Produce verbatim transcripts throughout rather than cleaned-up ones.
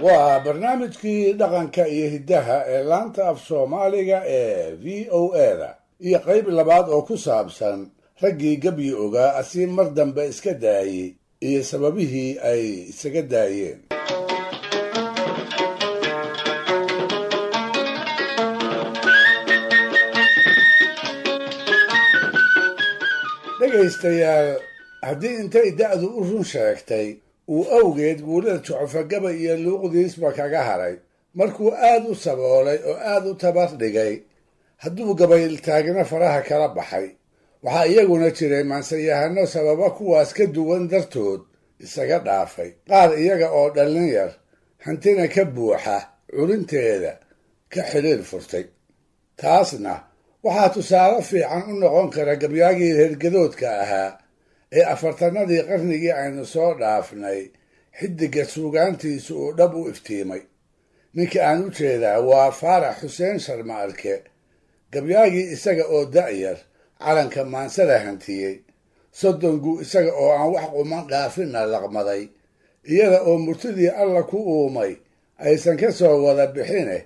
Waa barnaamijkii dhaqanka iyo hiddaha ee laanta af Soomaaliga ee V O A da iyo qayb labaad oo ku saabsan raggii gabyi ogaa asii mar dambe iska daayey iyo sababihii ay isaga daayeen. Dhegaystayaal, haddii intay da'du u run sheegtay uu awgeed guulada Jucufagaba iyo luuqdiisba kaga haray, markuu aad u saboolay oo aad u tabar dhigay, hadduu gabayltaagna faraha kala baxay, waxaa iyaguna jiray maansayahano sababa kuwaas ka duwan dartood isaga dhaafay, qaar iyaga oo dhallin yar hantina ka buuxa culinteeda ka xidhiir furtay. Taasna waxaa tusaale fiican u noqon kara gabyaagii reergadoodka ahaa ee afartanadii qarnigii aynu soo dhaafnay xiddigga suugaantiisu uu dhab u iftiimay. Ninka aan u jeedaa waa Faarax Xuseen Sharma Arke, gabyaagii isaga oo da'yar calanka maansada hantiyey, soddon gu isaga oo aan wax quman dhaafinna laqmaday, iyada oo murtidii Alla ku uumay aysan ka soo wada bixine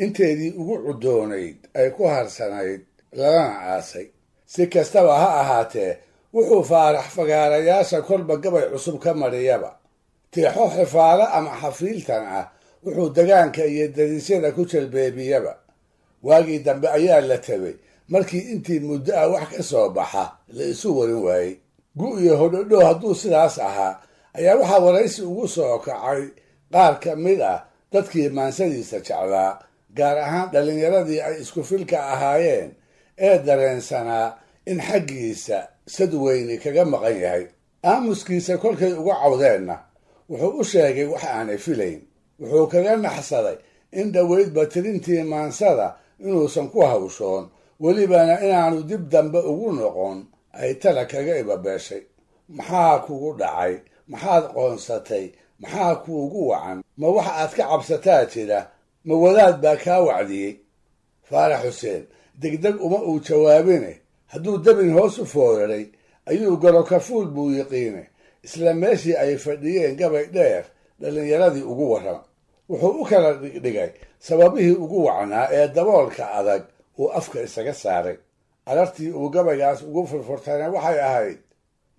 inteedii ugu cudoonayd ay ku harsanayd lalana aasay. Si kastaba ha ahaatee, wuxuu Faarax fagaarayaasha kolba gabay cusub ka mariyaba, tiixo xifaalo ama xafiiltan ah wuxuu degaanka iyo dariisyada ku jalbeebiyaba. Waagii dambe ayaa la tabay markii intii muddo ah wax ka soo baxa la isu warin waayey. Gu iyo hodhodho hadduu sidaas ahaa ayaa waxaa waraysi ugu soo kacay qaar ka mid ah dadkii maansadiisa jeclaa, gaar ahaan dhallinyaradii ay isku filka ahaayeen ee dareensanaa in xaggiisa sadweyni kaga maqan yahay. Aamuskiisa kolkay uga cawdeenna wuxuu u sheegay wax aanay filayn. Wuxuu kaga naxsaday in dhoweydba tirintii maansada inuusan ku hawshoon, welibana inaanu dib dambe ugu noqon ay tala kaga ibabeeshay. Maxaa kugu dhacay? Maxaad qoonsatay? Maxaa kuugu wacan? Ma wax aad ka cabsataa jira? Ma wadaad baa kaa wacdiyey? Faarax Xuseen degdeg uma uu jawaabine, hadduu dabin hoos u fooraray ayuu gorokafuul buu yiqiine isla meeshii ay fadhiyeen gabay dheer dhallinyaradii ugu warrama. Wuxuu u kala dhigdhigay sababihii ugu wacnaa ee daboolka adag uu afka isaga saaray. Arartii uu gabaygaas ugu furfurtayna waxay ahayd: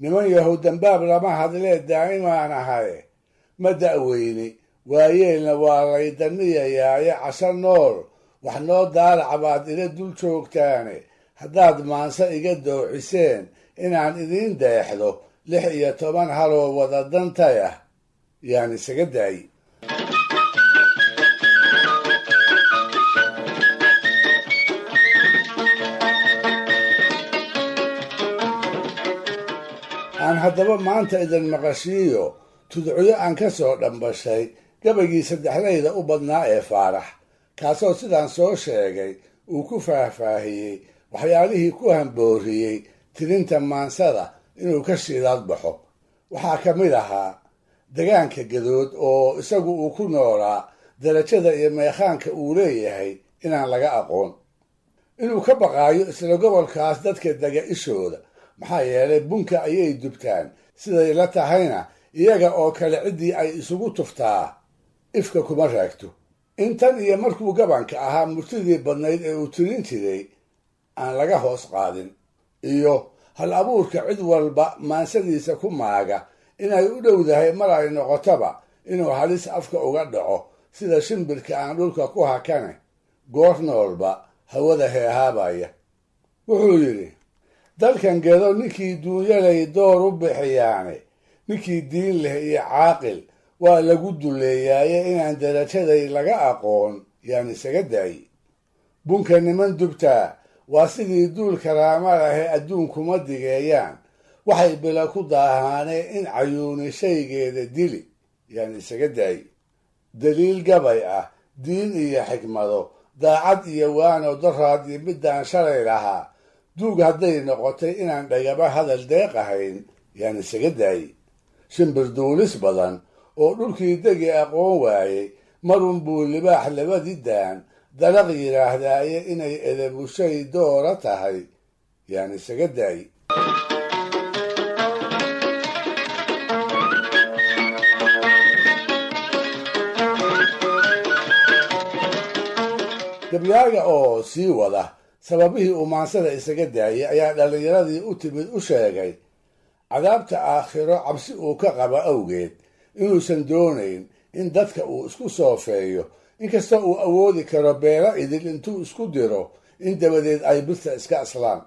niman yahow, dambaab lama hadlee daa'imaan ahaye, ma da'weyni, waayeelna waa laydaniyayaaye, casho nool wax noo daalaca baad ila dul joogtaane, haddaad maanse iga dooxiseen inaan idiin deexdo lix iyo toban haloo wada dantayah yaan isaga daayi. Aan haddaba maanta idin maqashiiyo tudcyo aan ka soo dhambashay gabaygii saddexdayda u badnaa ee Faarax, kaasoo sidaan soo sheegay uu ku faahfaahiyey waxyaalihii ku hambooriyey tirinta maansada inuu ka shiidaad baxo. Waxaa ka mid ahaa degaanka Gadood oo isagu uu ku noolaa darajada iyo meekhaanka uu leeyahay inaan laga aqoon, inuu ka baqaayo isla gobolkaas dadka dega ishooda, maxaa yeelay bunka ayay dubtaan, siday la tahayna iyaga oo kale ciddii ay isugu tuftaa ifka kuma raagto. Intan iyo markuu gabanka ahaa murtidii badnayd ee uu tirin jiray aan laga hoos qaadin, iyo hal abuurka cid walba maansadiisa ku maaga inay u dhowdahay mar ay noqotaba inuu halis afka uga dhaco sida shimbirka aan dhulka ku hakane goor noolba hawada heehaabaya. Wuxuu yidhi: dalkan Gedo ninkii duunyalay door u bixiyaane, ninkii diin leh iyo caaqil waa lagu duleeyaaye, inaan darajaday laga aqoon yaan isaga daayi. Bunka niman dubtaa waa sidii duul karaama lahe adduunkuma digeeyaan, waxay bila ku daahaane in cayuuni shaygeeda dili yaan isaga daayi. Daliil gabay ah, diin iyo xikmado, daacad iyo waano daraad iyo middaan shalay lahaa, duug hadday noqotay inaan dhagaba hadal deeqahayn yaan isaga daayi. Shimbir duulis badan oo dhulkii degi aqoon waayey marun buu libaax labadii daan dalaq yidhaahdaaye, inay edebushay doora tahay yaan isaga daayi. Gabyaaga oo sii wada sababihii uu maansada isaga daayay ayaa dhallinyaradii u timid u sheegay cadaabta aakhiro cabsi uu ka qaba awgeed inuusan doonayn in dadka uu isku soofeeyo, inkastoo uu awoodi karo beelo idil intuu isku diro in dabadeed ay birta iska aslaan.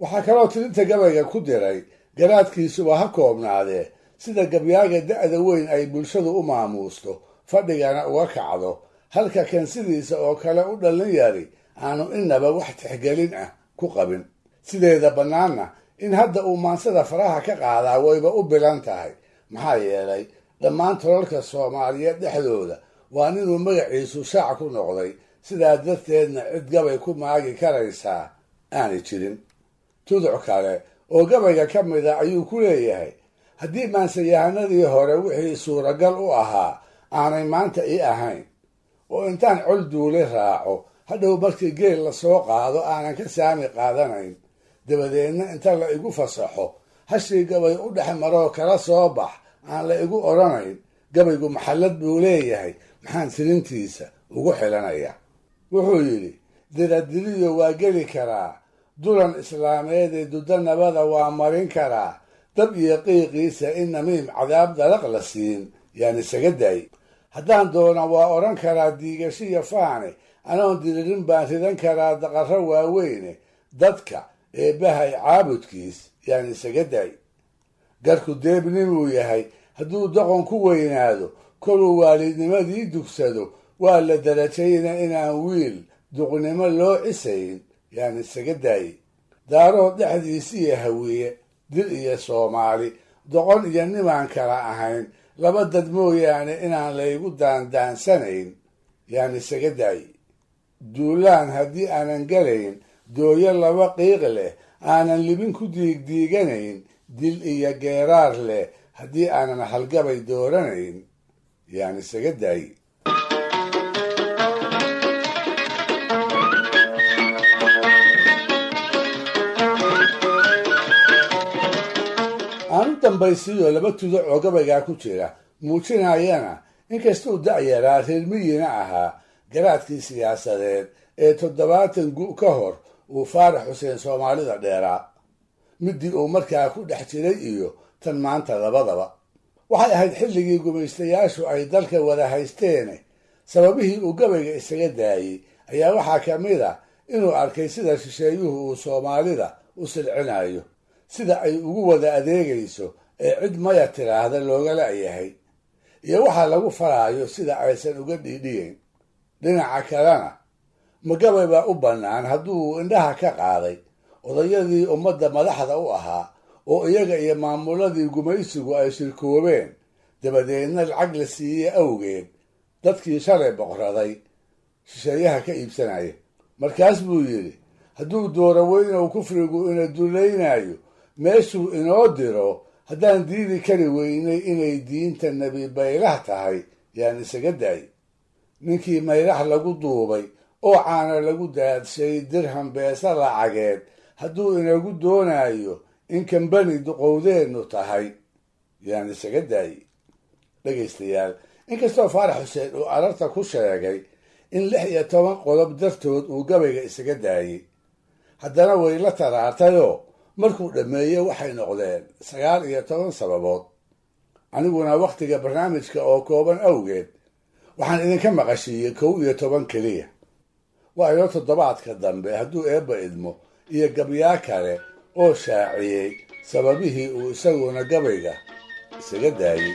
Waxaa kaloo tirinta gabayga ku diray garaadkiisuba ha koobnaadee sida gabyaaga da'da weyn ay bulshadu u maamuusto fadhigana uga kacdo, halka kan sidiisa oo kale u dhallin yari aanu inaba wax tixgelin ah ku qabin. Sideeda bannaanna in hadda uu maansada faraha ka qaadaa wayba u bilan tahay, maxaa yeelay dhammaan tolalka Soomaaliyeed dhexdooda waa ninuu magaciisu shaac ku noqday, sidaa darteedna cid gabay ku maagi karaysaa aanay jirin. Tuduc kale oo gabayga ka mida ayuu ku leeyahay haddii maansayahanadii hore wixii suuragal u ahaa aanay maanta ii ahayn, oo intaan col duule raaco hadhow markii geel la soo qaado aanan ka saami qaadanayn, dabadeedna inta la igu fasaxo hashii gabay u dhex maroo kala soo bax aan la igu odhanayn, gabaygu maxallad buu leeyahay, maxaan tirintiisa ugu xilanayaa. Wuxuu yidhi diradiriyo waa geli karaa, dulan islaameedee duddo nabada waa marin karaa, dab iyo qiiqiisa in namiim cadaab dalaq la siin yaan isaga daay. Haddaan doona waa odhan karaa diigashiya faane, anoon diririn baan ridan karaa daqarro waaweyne, dadka eebbahay caabudkiis yaan isaga daay. Garku deebnimuu yahay hadduu doqon ku weynaado, koluu waalidnimadii dugsado waa la darajayna inaan wiil duqnimo loo cisayn yaan isaga daayey. Daarood dhexdiisiiyo hawiye, dil iyo Soomaali, doqon iyo nimaan kala ahayn, laba dad mooyaane inaan laygu daandaansanayn yaan isaga daayey. Duulaan haddii aanan galayn, dooyo laba qiiq leh aanan libin ku diigdiiganayn, dil iyo geeraar leh haddii aanan halgabay dooranayn yaan isaga daayey. Aanu dambaysiiyo laba tuduc oo gabaygaa ku jira muujinayana inkastuu da'yaraa reer miyina ahaa garaadkii siyaasadeed ee toddobaatan gu ka hor uu Faarax Xuseen Soomaalida dheeraa, midii uu markaa ku dhex jiray iyo tan maanta labadaba. Waxay ahayd xilligii gumaystayaashu ay dalka wada haysteene, sababihii uu gabayga isaga daayey ayaa waxaa ka mid a inuu arkay sida shisheeyuhu uu Soomaalida u silcinayo, sida ay ugu wada adeegayso ee cid maya tiraahda looga la'yahay, iyo waxaa lagu faraayo sida aysan uga dhiidhiyeyn. Dhinaca kalena ma gabay baa u bannaan hadduu indhaha ka qaaday odayadii ummadda madaxda u ahaa oo iyaga iyo maamuladii gumaysigu ay shirkoobeen, dabadeedna lacag la siiyey awgeed dadkii shalay boqraday shisheeyaha ka iibsanaya. Markaas buu yidhi hadduu dooro weynow kufrigu ina dulaynayo, meeshuu inoo diro haddaan diidi kari weynay inay diinta nebi baylah tahay yaan isaga daay. Ninkii maylax lagu duubay oo caana lagu daadshay dirham beesa lacageed hadduu inagu doonayo in kambani duqowdeennu tahay yaan isaga daay. Dhegaystayaal, inkastoo Faarax Xuseen uu ararta ku sheegay in lix iyo toban qodob dartood uu gabayga isaga daayey, haddana way la taraartayoo markuu dhammeeyey waxay noqdeen sagaal iyo toban sababood. Aniguna wakhtiga barnaamijka oo kooban awgeed waxaan idinka maqashiiyey kow iyo toban keliya. Waa inoo toddobaadka dambe hadduu eebba idmo iyo gabyaa kale oo shaaciyey sababihii uu isaguna gabayga isaga daayey.